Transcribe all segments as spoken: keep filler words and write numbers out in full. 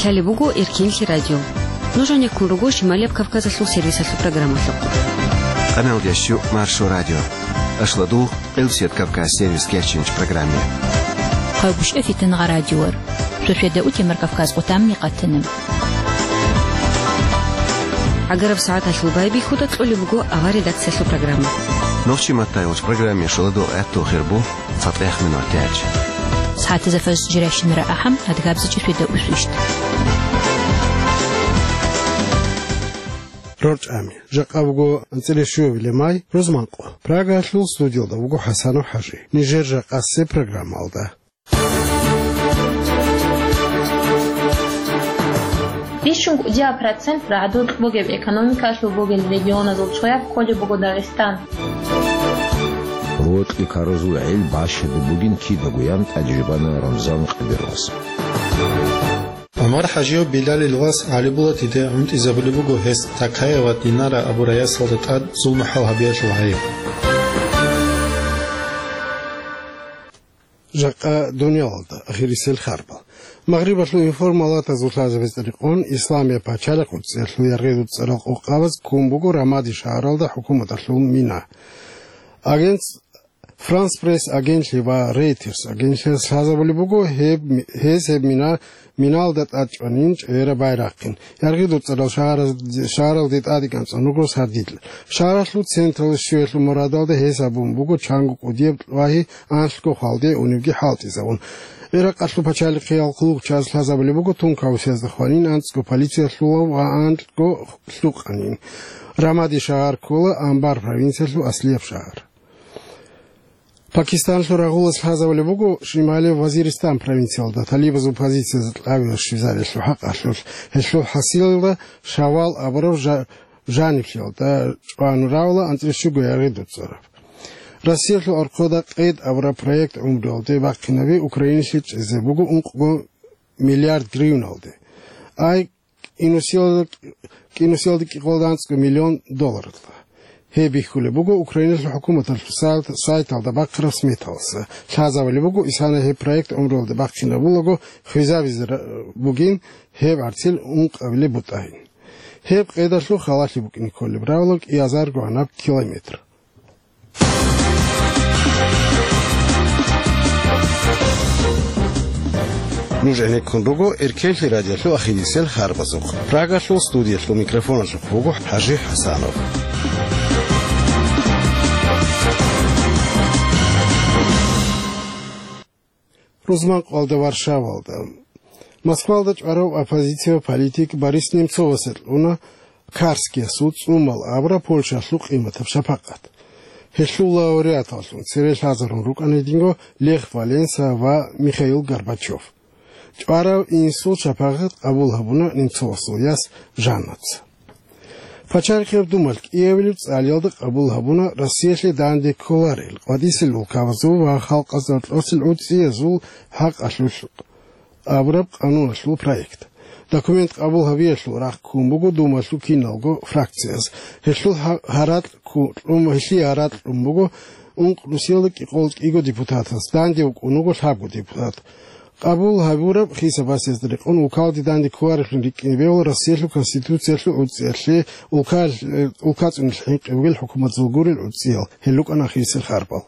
Лъалеб буго Эркенлъи радио. Нуж гӀенеккун руго Шималияб Кавказалъул сервисалъул программалъухъ. Къаналдящу Маршо радио. Ашладул Къилсият Кавказ сервис кечинч программе. Хъайгуща фитангъа радиор. Суседа утемар Кавказ къутамни къатана. ГӀагараб сагӀаталъул байбихьуда кьолеб буго авар редакциялъул программа. Нохчи матайулч программе шоладул гӀаттул хирбу. ЦатӀех минутач. СагӀатазда фажр жиращинара ахӀам, адгабзичи среда усвищ. РорчӀами. Жакъа буго анцӀила щуявилеб май, рузманкъо. Прагалъул студиялда вуго ХӀасанов ХӀажи. Нижер жакъасеб программалда. Бищун кӀудияб процент рагӀдукь бугеб экономикалъул бугел регионазул цояб кколеб буго Дагъистан. Рокьи карузул гӀел бащадаб бугин кидаго ян тӀаде жубана Рамзан Къадировас. ГӀумар ХӀажияв Билалил вас ГӀалибулатиде гӀунтӀизабулеб буго гьес Такаева Динара абурай ясалда тӀад зулму-хӀал гьабиялъул гӀайиб. Жакъа дуниялалда ахирисел харбал. Магърибалъул информалатазул лъазабизе рекъон, Исламияб пачалихъ уцӀцӀиялъул яргъи дуцӀцӀарал къокъабаз ккун буго Рамади шагьаралда хӀукуматалъул мина. Агентс-, Франс Пресс агентлъи ва Рейтерс агентлъиялъ лъазабулеб буго гьеб, гьез гьеб мина, миналда тӀад чӀванин чӀегӀераб байрахъин. Яргъи дуцӀцӀарал шагьараз-, шагьаралде тӀадегӀан цӀун руго сардилъ. Шагьаралъул централда щвеялъул мурадалда гьес абун буго чанго кӀудияб кьвагьи анлъго хвалде уневги хӀалтӀизавун. ГӀиракъалъул пачалихъиял хъулухъчияз лъазабулеб буго тункаусиязда хванин анцӀго полициялъулав ва анлъго лъукъанин. Рамади шагьар ккола Амбар провинциялъул аслияб шагьар. Пакистаналъул рагъулас лъазабулеб буго Шималияб Вазиристан провинциялда талибазул позицияз кьавиялъ щвезариялъул хӀакъалъулъ, гьелъул хӀасилалда Шавал абураб жа-, жаниблъиялда чӀван равла анцӀила щуго яргъи дуцӀцӀараб. Россиялъул архъода къед абураб проект гӀумруялде бахъинаби Украиналъе чӀезе буго ункъго миллиард гривналде. Ай, кӀинусиялда, кӀинусиялда кӀикъоялда анцӀго миллион долларалда. Гьеб бихьулеб буго Украиналъул хӀукуматалъул сайт-, сайталда бахъараб сметалъ. Лъазабулеб буго, исана гьеб проект гӀумруялде бахъинабулаго хвезабизе ра-, бугин гьеб гӀарцил ункъабилеб бутӀагьин. Гьеб къедалъул халалъи букӀине кколеб равлаг кӀиазарго гьанаб километр. Нуж гӀенеккун руго Эркенлъи радиолъул ахирисел харбазухъ. Прагалъул студиялъул микрофоналъухъ вуго ХӀажи ХӀасанов. Рузманкъоялда Варшавалда. Москвалда чӀварав оппозициялъул политик Борис Немцовасе кьуна Карскиясул цӀумал абураб Польшалъул къиматаб шапакъат. Гьелъул лауреаталлъун цере лъазарун рукӀана гьединго Лех Валенса ва Михаил Горбачев. ЧӀварав инсул шапакъат къабул гьабуна Немцовасул яс Жаннаца. Пачалихъияб Думалъ кӀиабилеб цӀалиялда къабул гьабуна Россиялъе данде кколарел къватӀисел улкабазул ва халкъазда кьосел гӀуцӀиязул хӀакъалъулъ абураб къануналъул проект. Документ къабул гьабиялъул рахъ ккун буго Думалъул киналго фракцияз. Гьелъул гьа-, гьаракь кку-, кьун, гьелъие гьаракь кьун буго ункънусиялда кӀикъоялда кӀиго депутатас, данде вукӀун вуго лъабго депутат. Къабул гьабураб хисабасезда рекъон улкалде данде кколаревлъун рикӀкӀине бегьула Россиялъул Конституциялъул гӀуцӀиялъе улкал-, улкацӀуналъ хӀинкъи бугел хӀукуматзул гурел гӀуцӀиял, гьел рукӀана ахирисел харбал.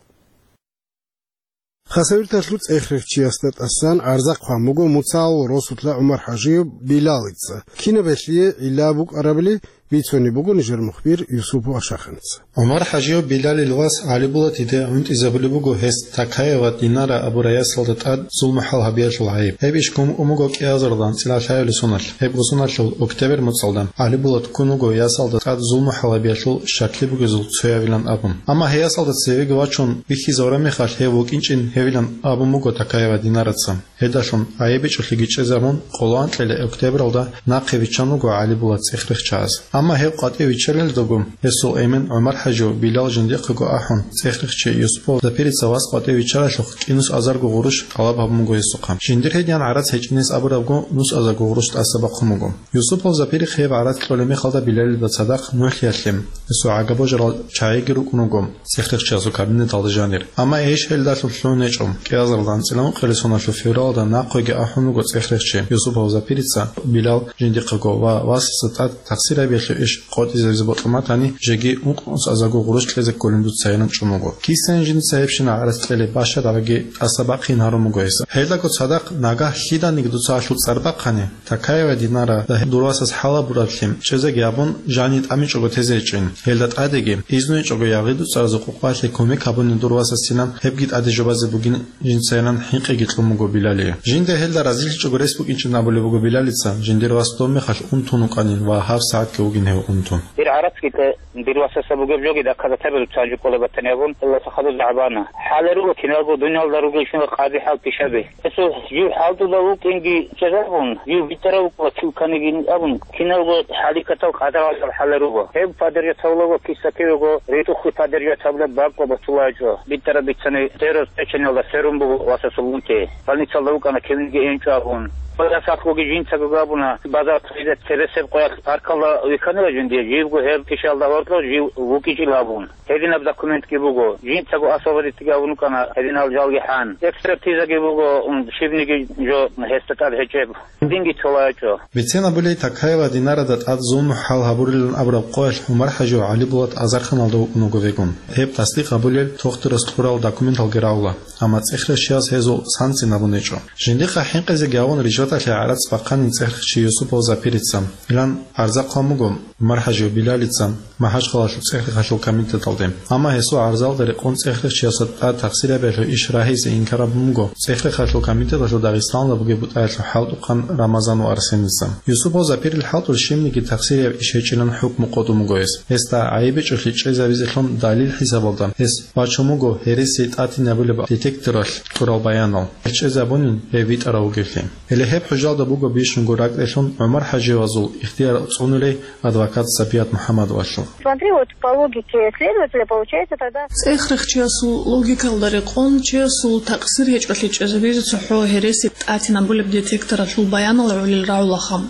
Хасавюрталъул цӀех-рехчиясда тӀасан гӀарза хъван буго Муцал росулъа ГӀумар-хӀажияв Билалица. Кинаб гьелъие гӀилла букӀарабали бицунеб буго нижер мухбир Юсупов Ашаханца. ГӀумар-хӀажияв Билалил вас ГӀалибулатиде гӀунтӀизабулеб буго гьес Такаева Динара абурай ясалда тӀад зулму-хӀал гьабиялъул гӀайиб. Гьеб иш ккун буго кӀиазарилан анцӀила лъабилеб соналъ. Гьебго соналъул октябрь муцӀалда ГӀалибулат ккун вуго ясалда тӀад зулму-хӀал гьабиялъул щаклъи бугезул цоявилан абун. Амма гьей ясалда цевеги вачун бихьизавураб мехалъ гьев вукӀинчӀин гьевилан абун буго Такаева Динараца. Гьедалъун гӀайиб бичӀчӀулъиги чӀезабун, къоло анкьила октябралда нахъе виччан вуго ГӀалибулат цӀех-рехчияс. Амма гьев къватӀиве виччалелдаго, гьесул эмен ГӀумар-хӀажив Билал жиндихъего ахӀун, цӀехрихъчи Юсупов Запирица вас къватӀиве виччаралъухъ кӀинус азарго гъурущ тӀалаб гьабун буго гьесухъан. Жиндир гьедин гӀарац гьечӀинес абурабго, нус азарго гъурущ тӀаса бахъун буго. Юсупов Запирихъ гьеб гӀарац кьолеб мехалда Билалида цадахъ нугӀлъиялъе, гьесул гӀагабожарал чагӀиги рукӀун руго цӀехрихъчиясул кабинеталда жанир. Амма гьеб иш гьелдалъун лъугьун гьечӀо. КӀиазаралда анцӀила ункъоялда соналъул февралда нахъеги ахӀун руго цӀехрихъчи Юсупов Запирица Билал жиндихъего ва васасда тӀад тахсир гьабиялъул иш къотӀизабизе бокьун батани, жеги ункънус азарго гъурущ кьезе кколин дуцайилан чӀун вуго. Кисайин жинца гьебщинаб гӀарац кьелеб бащадабиги тӀаса бахъин гьарун буго гьес. Гьелдаго цадахъ нагагь лъиданиги дуца гьалъул цӀар бахъани, Такаева Динара дур васас хӀал гьабураблъи чӀезеги гьабун, жани тӀамичӀого тезе гьечӀин. Гьелда тӀадеги, изну гьечӀого ягъиду цӀаразул къукъбалъе кумек гьабунин дур васасилан, гьебги тӀаде жубазе бугин жинцайилан хӀинкъиги кьун буго Билалие. Жинда гьелда разилъичӀого рес букӀинчӀин абулеб буго Билалица, жиндир вас доб мехалъ унтун вукӀанин ва гьабсагӀатги вугин гьев унтун. Дир гӀарацги те, дир васасда бугеб жоги доказательстваби дуца гьанже кӀолеб батани абун, Аллагьасда хадур жагьбана. ХӀале руго киналго дуниялда ругелщинал къадрихӀал пишаби. Гьесул жив хӀалтӀуда вукӀинги чӀезабун, жив битӀарав вукӀула чилканигин абун, киналго хӀаликатал къадрал хӀале руго. Гьеб падержат гьавулаго киса кивего ретӀухъе падержат гьабулеб бакӀ ва батулачӀо. БитӀараб бицани сверос печеналда сверун буго васасул унти. Больницалда вукӀана кивниги гьенчӀо абун. Къоясалъгоги жинцаго габуна, базар цебесеб къоялъ паркалда вихьанила жиндие, живго гьеб пишалда гьоркьо жив вукӀичӀила абун. Гьединаб документги буго, жинцаго освободитьги гьабун рукӀана гьединал жалги хӀан. Экспертизаги буго, м, щибниги жо гьесда тӀад гьечӀеб. Динги цолаячӀо. Бицен абулей, Такаева Динарада тӀад зулму хӀал гьабурилан абураб къоялъ ГӀумар-хӀажи ГӀалибулат азарханалда вукӀун вуго вегун. Гьеб тасдикъ гьабулел тохтурас кьурал документалги равла, амма цӀехрехчияс гьезул санцин абун гьечӀо. Жиндихъа хӀинкъизеги гьавун ришваталъе гӀарац бахъанин цӀехрехчи Юсупов Запирица. Илан гӀарза хъван буго ГӀумар-хӀажи Билалица МахӀачхъалалъул цӀехрехалъул комитеталде. Амма гьесул гӀарзалда рекъон цӀехрехчиясда тӀад тахсир гьабиялъул иш рагьизе инкар гьабун буго цӀехрехалъул комитеталъул Дагъистаналда бугеб бутӀаялъул хӀалтӀухъан Рамазанов Арсеница. Юсупов Запирил хӀалтӀулъ щибниги тахсир гьаб иш гьечӀилан хӀукму къотӀун буго гьес. Гьесда гӀайиб гьечӀолъи чӀезабизелъун далил хӀисабалда гьес бачун буго гьереси тӀатинабулеб детекторалъ кьурал баянал. Гьел чӀезабунин гьев витӀарав вугевлъи. Гьеле гьеб хӀужалда буго бищунго ракӀделъун ГӀумар-хӀажиевазул ихтияр цӀунулей адвокат Сапият МухӀаммадовалъул. Смотри, вот по логике следователя получается тогда. ЦӀехрехчиясул логикалда рекъон, чиясул такъсир гьечӀолъи чӀезабизе цохӀо гьереси тӀатинабулеб детекторалъул баянал гӀолил рагӀулаха.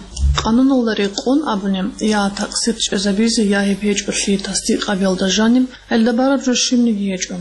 Къануналда рекъон абуни, я такъсир чӀезабизе, я гьеб гьечӀолъи тасдикъ гьабиялда жаниб, гьелда бараб жо щибниги гьечӀо.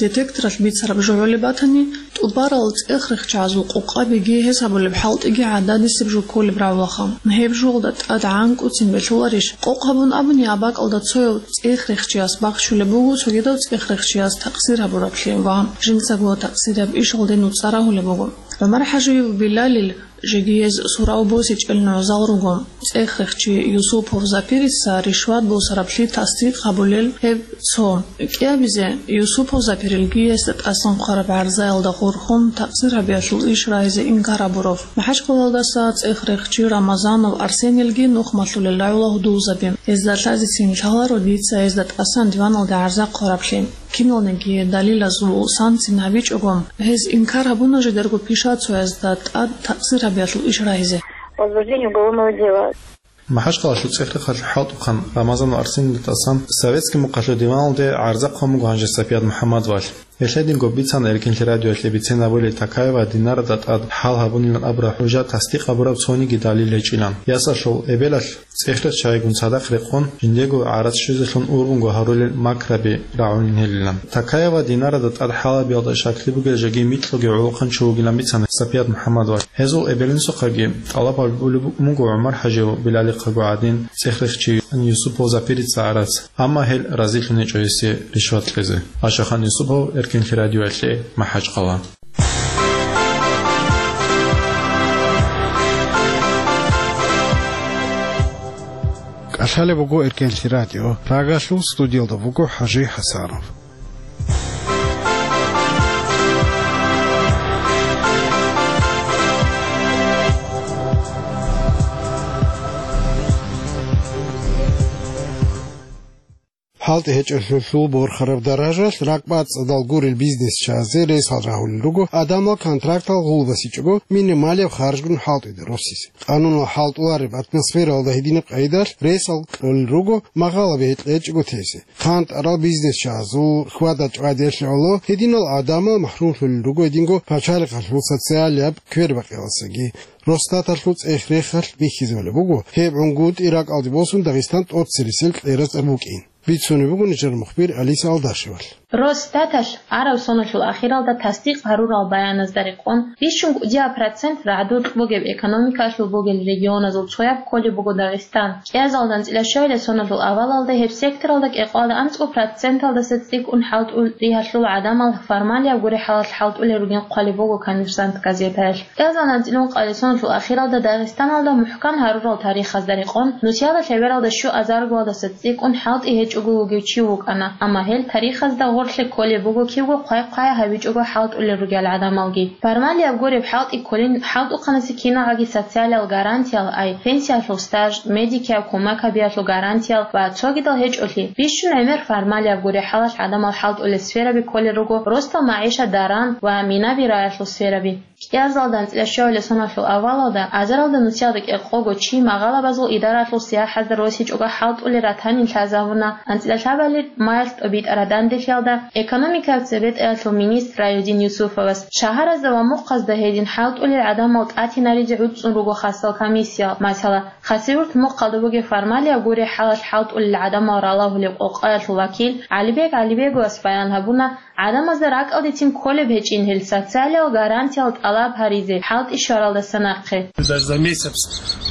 Детекторалъ бицараб жо гӀолеб батани, тӀубарал цӀехрехчагӀазул къокъабиги гьес гьабулеб хӀалтӀиги гӀададисеб жо кколеб рагӀулаха. Гьеб жоялда тӀад гӀанкӀуцин белъуларищ? Къокъ гьабун абуни, абакӀалда цояв цӀехрехчияс бахчулеб буго цогидав цӀехрехчияс такъсир гьабураблъи ва жинцаго такъсир гьаб ишалде нуцӀа рагьулеб буго. ГӀумар-хӀажиев Билалил жеги гьез сурав босичӀел нугӀзал руго. ЦӀехрехчи Юсупов Запирица ришват босараблъи тасдикъ гьабулел гьеб цо. КӀиабизе, Юсупов Запирилги гьесда тӀасан хъвараб гӀарзаялда хурхун, такъсир гьабиялъул иш рагьизе инкар гьабурав. МахӀачхъалалдаса цӀехрехчи Рамазанов Арсенилги нухмалъулел рагӀула гьудулзаби. Гьезда лъазецин лъаларо дица гьезда тӀасан диваналде гӀарза хъвараблъи. Киналниги далилазул санцин гьабичӀого, гьез инкар гьабуна жидерго пишацоязда тӀад такъсир гьабиялъул иш рагьизе. Возбуждение уголовного дела. МахӀачхъалалъул цӀехрехалъул хӀалтӀухъан Рамазанов Арсенилда тӀасан советский мухъалъул диваналде гӀарза хъван буго гьанже Сапият МухӀаммадовалъ. Гьелъ гьединго бицана Эркинлъи радиоялъе бицен абулей Такаева Динарада тӀад хӀал гьабунилан абураб хӀужа тасдикъ гьабураб цониги далил гьечӀилан. Ясалъул эбелалъ цӀехрехчагӀигун цадахъ рекъон, жиндего гӀарац щвезелъун ургъунго гьарулел макраби рагӀунин гьелилан. Такаева Динарада тӀад хӀал гьабиялда щаклъи бугел жеги микьго гӀолохъанчи вугилан бицана Сапият МухӀаммадовалъ. Гьезул эбел-инсухъаги тӀалаб гьабулеб буго ГӀумар-хӀажиев Билалихъаго гӀадин цӀехрехчи Юсупов Запирица гӀарац, амма гьел разилъун гьечӀо гьесие ришват кьезе. Ашахан Юсупов, Эркинлъи радиоялъе, МахӀачхъала. КӀалъалеб буго Эркинлъи радио. Прагалъул студиялда вуго ХӀажи ХӀасанов. ХӀалтӀи гьечӀолъулъул борхараб даражалъ ракӀбацӀцӀадал гурел бизнесчиязе ресал рагьулел руго адамал контрактал гъулбасичӀого минималияб харжгун хӀалтӀида росизе. Къанунал хӀалтӀулареб атмосфералда гьединаб къайдалъ ресал кьолел руго магъала бегьикь гьечӀого тезе. ХъантӀарал бизнесчиязул хьвада-чӀвадиялъе гӀоло гьединал гӀадамал махрумлъулел руго гьединго пачалихъалъул социалияб квербакъиялдасаги. Росстаталъул цӀех-рехалъ бихьизабулеб буго, гьеб гӀунгутӀи ракӀалде босун Дагъистан тӀоцерисел кьераздаса букӀин. Бицунеб буго нижер мухбир Алиса Алдашевалъ. Росстаталъ араб соналъул ахиралда тасдикъ гьарурал баяназда рекъон, бищун кӀудияб процент рагӀдукь бугеб экономикалъул бугел регионазул цояб кколеб буго Дагъистан. КӀиазалда анцӀила щуабилеб соналъул авалалда гьеб секторалда кӀикъоялда анцӀго проценталдаса цӀикӀкӀун хӀалтӀул ригьалъул гӀадамал формалияб гурехӀалалъ хӀалтӀулел ругин хъвалеб буго Коммерсант газетаялъ. КӀиазалда анцӀила ункъабилеб соналъул ахиралда Дагъистаналда мухӀкан гьарурал тарихазда рекъон, нусиялда лъебералда щуазаргоялдаса цӀикӀкӀун хӀалтӀи гьечӀого вугев чи вукӀана, амма гьел тарихазда гъорлъе кколеб буго кибго хъвай-хъвай гьабичӀого хӀалтӀулел ругел гӀадамалги. Формалияб гуреб хӀалтӀи кколин хӀалтӀухъанасе киналгӀаги социалиял гарантиял, ай пенсиялъул стаж, медикияб кумек гьабиялъул гарантиял ва цогидал гьечӀолъи, бищун гӀемер формалияб гурехӀалалъ гӀадамал хӀалтӀулел сфераби кколел руго, росдал магӀишат даран ва минаби раялъул сфераби. КӀиазалда анцӀила щуабилеб соналъул авалалда азаралда нусиялда кӀикъого чи магъалабазул идаралъул сияхӀазда росичӀого хӀалтӀулел ратанин лъазабуна, анцӀила лъабабилеб маялъ тӀобитӀараб данделъиялда экономикаялъул цебетӀаялъул министр Раюдин Юсуфовас. Шагьаразда ва мухъазда гьедин хӀалтӀулел гӀадамал тӀатинаризе гӀуцӀцӀун руго хасал комиссиял, масала, Хасавюрт мухъалда бугеб формалияб гурехӀалалъ хӀалтӀулел гӀадамал ралагьулеб къокъаялъул вакил ГӀалибек ГӀалибеговас баян гьабуна, гӀадамазда ракӀалдецин кколеб гьечӀин гьел социалиял гарантиял тӀалаб гьаризе хӀалтӀи щваралдаса нахъе. Даже за месяц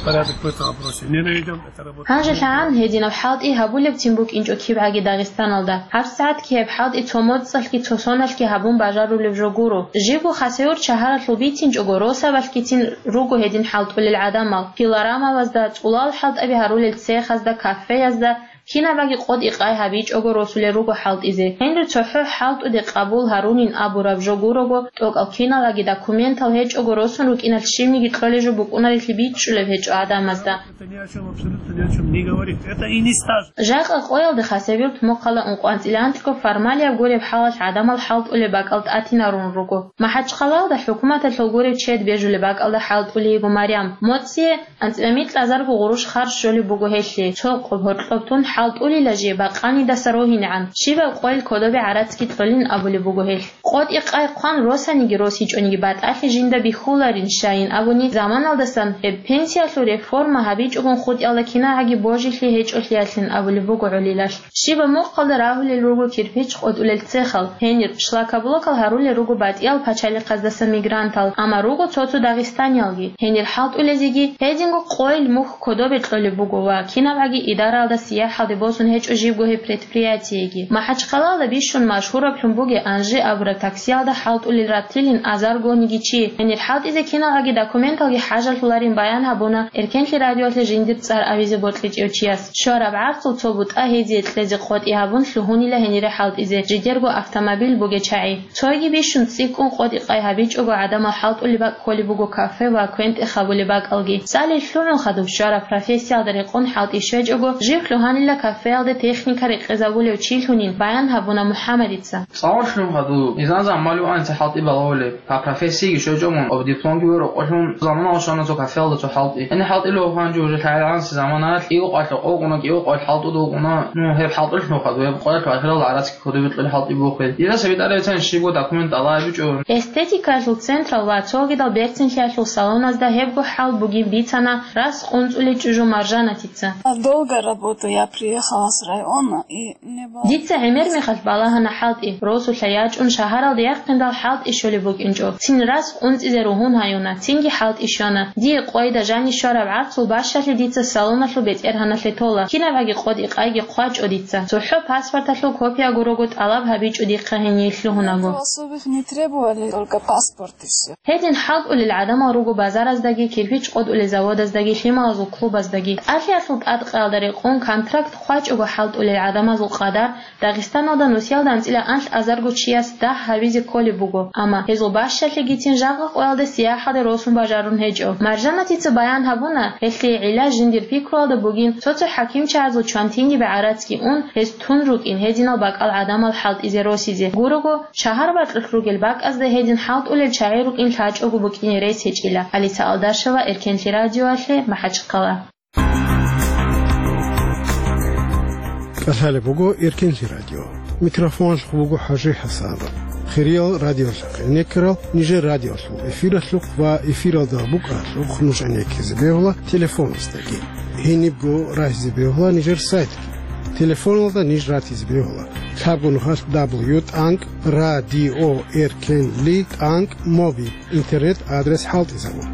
порядок в этом вопросе не наведён, это работа. Гьанже лъагӀан гьединаб хӀалтӀи гьабулебцин букӀинчӀо кибгӀаги Дагъистаналда. ГьабсагӀатги гьеб хӀалтӀи цо моцӀалъги цо соналъги гьабун бажарулеб жо гуро. Жибго Хасавюрт шагьаралъул бицинчӀого, росабалъгицин руго гьедин хӀалтӀулел гӀадамал. Пилорамабазда, цӀулал хӀалтӀаби гьарулел цехазда, кафеязда, кинабаги къотӀи-къай гьабичӀого росулел руго хӀалтӀизе. Гьенир цохӀо хӀалтӀуде къабул гьарунин абураб жо гурого, тӀокӀал киналгӀаги документал гьечӀого росун рукӀиналъ щибниги кьолеб жо букӀунарелъи бичӀчӀулеб гьечӀо гӀадамазда. Это ни о чём, абсолютно ни о чём не говорит. Это и не стаж. Жакъа къоялда Хасавюрт мухъала ункъоялда анцӀила анкьго формалияб гуреб хӀалалъ гӀадамал хӀалтӀулеб бакӀал тӀатинарун руго. МахӀачхъалаялда хӀукуматалъул гуреб чед бежулеб бакӀалда хӀалтӀулей йиго Марям. МоцӀие анцӀила микьазарго гъурущ харж щолеб буго гьелъие, цо къоб гьоркьоб тун хӀалтӀулила жие бакъанидаса рогьинегӀан, щибаб къойил кодобе гӀарацги кьолин абулеб буго гьелъ. КъотӀи-къай хъван росаниги росичӀониги батӀалъи жинда бихьуларин щайин абуни, заманалдасан гьеб пенсиялъул реформа гьабичӀогун хутӀиялда кинагӀаги божилъи гьечӀолъиялъин абулеб буго гӀолилалъ. Щибаб мухъалда рагьулел руго кирпич къотӀулел цехал, гьенир шлакоблокал гьарулел руго батӀиял пачалихъаздаса мигрантал, амма руго цо-цо дагъистаниялги. Гьенир хӀалтӀулезеги гьединго къойил мухь кодобе кьолеб буго ва кинабгӀаги идараялда сияхӀалде босун гьечӀо жибго гьеб предприятиеги. МахӀачхъалаялда бищун машгьураблъун бугеб Анжи абураб таксиялда хӀалтӀулел ратилин азаргониги чи. Гьенир хӀалтӀизе киналгӀаги документалги хӀажалъуларин баян гьабуна Эркенлъи радиоялъе жиндир цӀар авизе бокьичӀев чияс. Щвараб гӀарцул цо бутӀа гьезие кьезе къотӀи гьабун лъугьунила гьенире хӀалтӀизе, жидерго автомобиль бугечагӀи. Цойги бищун цӀикӀкӀун къотӀи-къай гьабичӀого гӀадамал хӀалтӀулеб бакӀ кколеб буго кафе ва квен-тӀех гьабулеб бакӀалги. ЦӀалил лъугӀун хадуб щвараб профессиялда рекъон хӀалтӀи щвечӀого, жив лъугьанила кафеялде техника рекъезабулев чи лъунин баян гьабуна МухӀаммадица. ЦӀалил лъугӀун хадуб, изан-изан мали ваница хӀалтӀи балагьулеб. Гьаб профессиги щвечӀого мун, об дипломги ва рокъолъун замана щвана цо кафеялда цо хӀалтӀи. Гьенир хӀалтӀи лъугьун жо уже лъагӀел гӀанси заманалъ кӀиго къоялъ, къо-, къуна кӀиго къоялъ хӀалтӀуда вукӀуна. Ну, гьеб хӀалтӀулъ нухадуб, гьеб къоялъ ахирал гӀарацги кодобе кьолеб хӀалтӀи бухъе. Дида цебетӀараб бицани щибго документ тӀалаб гьабичӀо. Эстетикаялъул централ ва цогидал берцинлъиялъул салоназда гьебго хӀал бугин бицана рас къунцӀулей чӀужу Маржанатица. Долго работаю, я приехала с района и Дица гӀемер мехалъ балагьана хӀалтӀи, росулъа ячӀун шагьаралде яхъиндал хӀалтӀи щолеб букӀинчӀо. Цин рас къунцӀизе ругьун гьаюна, цинги хӀалтӀи щвана. Дие къойда жанив щвараб гӀарцул бащалъи дица салоналъул бетӀергьаналъе тола, кинабгӀаги къотӀи-къайги хъвачӀо дица. ЦохӀо паспорталъул копия гурого тӀалаб гьабичӀо дихъа гьение лъугьунаго. Особых не требовали, только паспорт и всё. Гьедин хӀалтӀулел гӀадамал руго базараздаги, кирпич къотӀулел заводаздаги, лъималазул клубаздаги. ТӀалъиялъул тӀадкъиялда рекъон контракт ХъвачӀого хӀалтӀулел гӀадамазул къадар Дагъистаналда нусиялда анцӀила анлъ азарго чияс дагь гьабизе кколеб буго, амма гьезул бащалъигицин жакъа къоялда сияхӀалде росун бажарун гьечӀо. Маржанатица баян гьабуна, гьелъие гӀилла жиндир пикруялда бугин, цо-цо хӀакимчагӀазул чвантинги бегӀарацги ун, гьез тун рукӀин гьединал бакӀал гӀадамал хӀалтӀизе росизе. Гурого, шагьар бакьулъ ругел бакӀазда гьедин хӀалтӀулел чагӀи рукӀин лъачӀого букӀине рес гьечӀила. Алиса Алдашева, Эркенлъи радиоялъе, МахӀачхъала. КӀалъалеб буго Эркенлъи радио. Микрофоналъухъ буго ХӀажи ХӀасанов. Хириял радиолъахъ гӀенеккарал нижер радиолъул эфиралъухъ ва эфиралда букӀаралъухъ нуж гӀенеккизе бегьула телефоназдаги. Гьенибго рагьизе бегьула нижер сайтги. Телефоналда ниж ратизе бегьула: лъабго нухалъ дабл ю тӀанкӀ радио эркенли тӀанкӀ моби. Интернет-адрес хӀалтӀизабун.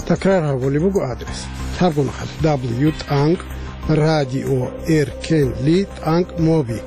Такрар гьабулеб буго адрес: лъабго нухалъ дабл ю тӀанкӀ радио эркенли тӀанкӀ моби.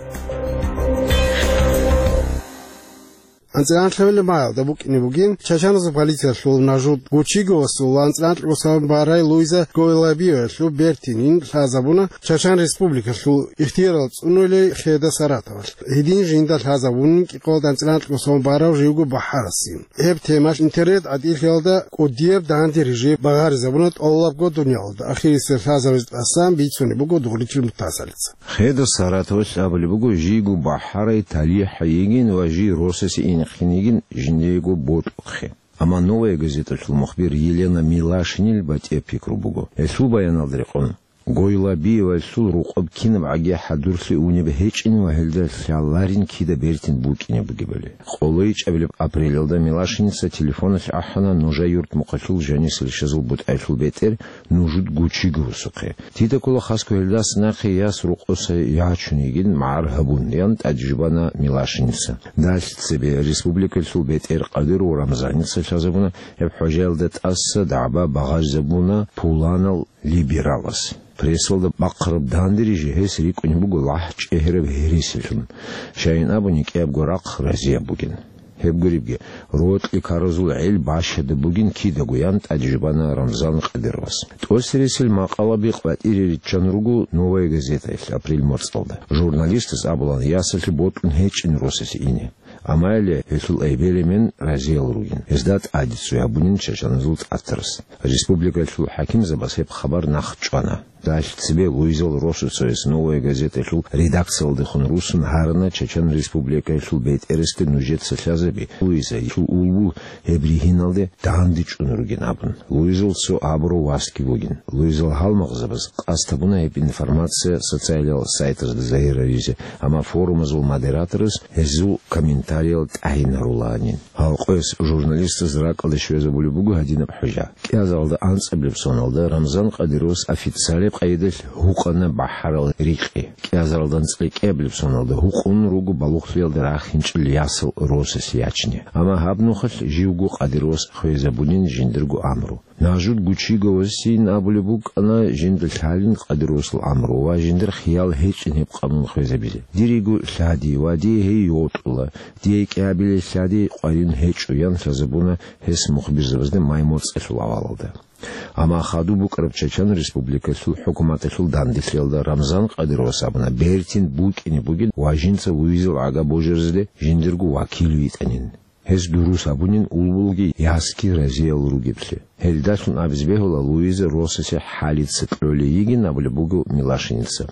АнцӀила анлъабилеб магӀалда букӀине бугин, чачаназул полициялъул Нажуд Гучиговасул анцӀила анкьго сон барай Луиза Гойлабиевалъул бертинин лъазабуна Чачан Республикалъул ихтиярал цӀунулей Хеда Саратовалъ. Гьедин жинда лъазабунин кӀикъоялда анцӀила анкьго сон барав живго бахӀарасин. Гьеб темалъ интернет-гӀатӀилъиялда кӀудияб данде рижи багъаризабуна тӀолабго дуниялалда. Ахирисеб лъазабизе тӀасан бицунеб буго Дугъричил Мутасалица. Хеда Саратовалъ абулеб буго, жийго бахӀарай талихӀ йигин ва жий росасе инехъин йигин жиндиего бокьухъе. Амма «Новая газеталъул» мухбир Елена Милашинил батӀияб пикру буго. Гьелъул баяналда рекъон, Гойлабиевалъул рукъоб кинаб гӀаги хӀадурлъи унеб гьечӀин ва гьелда лъаларин кида бертин букӀине бугебали. КъолайчӀабилеб апрелалда Милашиница телефоналъ ахӀана Нужа-Юрт мухъалъул жанисел щазул бутӀаялъул бетӀер Нужуд Гучиговасухъе. Дида ккола хасго гьелдаса нахъе яс рокъоса ячун йигин магӀар гьабун, ян тӀадежбана Милашиница. Далъ цебе республикалъул бетӀер Къадиров Рамзаница лъазабуна, гьеб хӀужаялда тӀаса дагӀба багъаризабуна пуланал либералас. Прессалда бахъараб данде рижи гьес рикӀкӀунеб буго лагь чӀегьераб гьересилъун. Щайин абуни, кӀиябго рахъ разияб бугин. Гьеб гуребги, рокьи ккаразул гӀел бащадаб бугин кидаго, ян тӀадежбана Рамзан Къадировас. ТӀоцересел макъалаби къватӀире риччан руго «Новая газетаялъ» апрель морцӀалда. Журналистас абулаан, ясалъе бокьун гьечӀин росасе ине. Амма гьелъул эбел-эмен разиял ругин. Гьезда тӀаде ццу гьабунин чачаназул тӀатарас. Республикалъул хӀакимзабаз гьеб хабар нахъ чӀвана. Далъ цебе Луизал росасул гьес «Новая газеталъул» редакциялдехун руссун гьарана Чачан Республикалъул бетӀерасде нужеца лъазаби, Луизал улбул гьеб ригьиналде данде чӀун ругин абун. Луизал цо абурав васги вугин. Луизал гьалмагъзабаз къасд гьабуна гьеб информация социалиял сайтазда загьираризе, амма форумазул модераторас гьезул комментариял тӀагӀинарулаанин. Гьалкъоялъ журналистаз ракӀалде щвезабулеб буго гьадинаб хӀужа. КӀиазаралда анцӀабилеб соналда Рамзан Къадировас официалияб къайдалъ гьукъана бахӀарал рикъи. КӀиазаралда анцӀила кӀиабилеб соналда гьукъун руго балугълъиялда рахинчӀел ясал росасе ячине. Амма гьаб нухалъ живго Къадировас хвезабунин жиндирго амру. Нажуд Гучиговасин абулеб букӀана жинда лъалин Къадировасул амру ва жиндир хиял гьечӀин гьеб къанун хвезабизе. Дирего лъади ва дие гьей йотӀула. Дие кӀиабилей лъади къварин гьечӀо, ян лъазабуна гьес мухбирзабазда май морцӀалъул авалалда. Амма хадуб букӀараб Чачан Республикалъул хӀукуматалъул данделъиялда Рамзан Къадировас абуна бертин букӀине бугин ва жинца Луизал гӀага божаразде жиндирго вакил витӀанин. Гьес дурус абунин улбулги ясги разиял ругеблъи. Гьелдалъун абизе бегьула Луиза росасе хӀалица кьолей йигин абулеб буго Милашиница.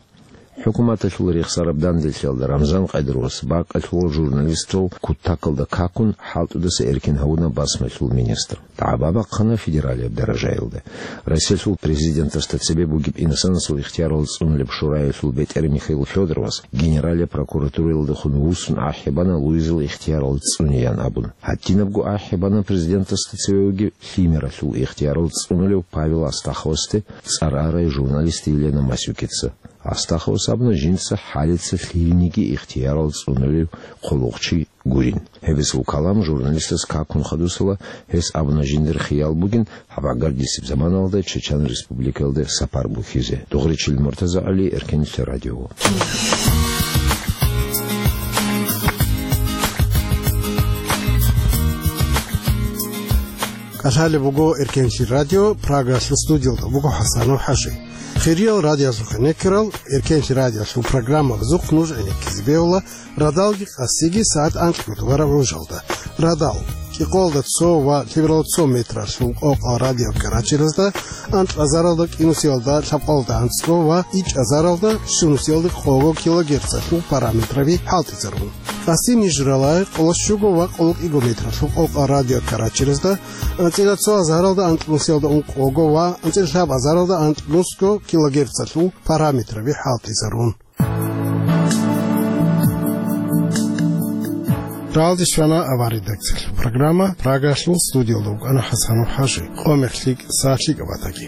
ХӀукуматалъул рехсараб данделъиялда Рамзан Къадировас бакӀалъулал журналистал кутакалда какун хӀалтӀудаса эркин гьавуна басмалъул министр. ДагӀба бахъана федералияб даражаялда. Россиялъул президентасда цебе бугеб инсанасул ихтиярал цӀунулеб шураялъул бетӀер Михаил Федоровас генералияб прокуратураялдехун вуссун ахӀи бана Луизал ихтиярал цӀунеян абун. Гьадинабго ахӀи бана президентасда цеве вугев лъимералъул ихтиярал цӀунулев Павел Астаховасде цӀар арай журналист Елена Масюкица. Астаховас абуна жинца хӀалица лъилниги ихтиярал цӀунулев хъулухъчи гурин. Гьеб гьесул калам журналистас какун хадусала, гьес абуна жиндир хиял бугин, гьаб гӀагардисеб заманалда Чечен Республикаялде сапар бухьизе. Дугъричил Муртаза ГӀали, Эркенлъи радио. КӀалъалеб буго Эркенлъи радио, Прагалъул студиялда буго ХӀасанов ХӀажи. Хириял радиоялъухъе некерал, Эркенлъи радиоялъул программабазухъ нуж гӀенеккизе бегьула радалги къасиги сагӀат анкьго дугараб гӀужалда. Радал, кӀикъоялда цо ва лъебералда цо метралъул къокъал радиокарачелазда, анкьазаралда кӀинусиялда лъабкъоялда анцӀго ва ичӀазаралда щунусиялда къого килогерцалъул параметраби хӀалтӀизарун. Къаси ниж рала къоло щуго ва къоло кӀиго метралъул къокъал радиокарачелазда, анцӀила цо азаралда анкьнусиялда ункъого ва анцӀила лъаб азаралда анкьнусго килогерцалъул параметраби хӀалтӀизарун. Ралдис вана аваридакцалъ. Программа Прагалъул студиялда вукӀана ХӀасанов ХӀажи. Къо мехлъи, сахлъи кӀабатаги.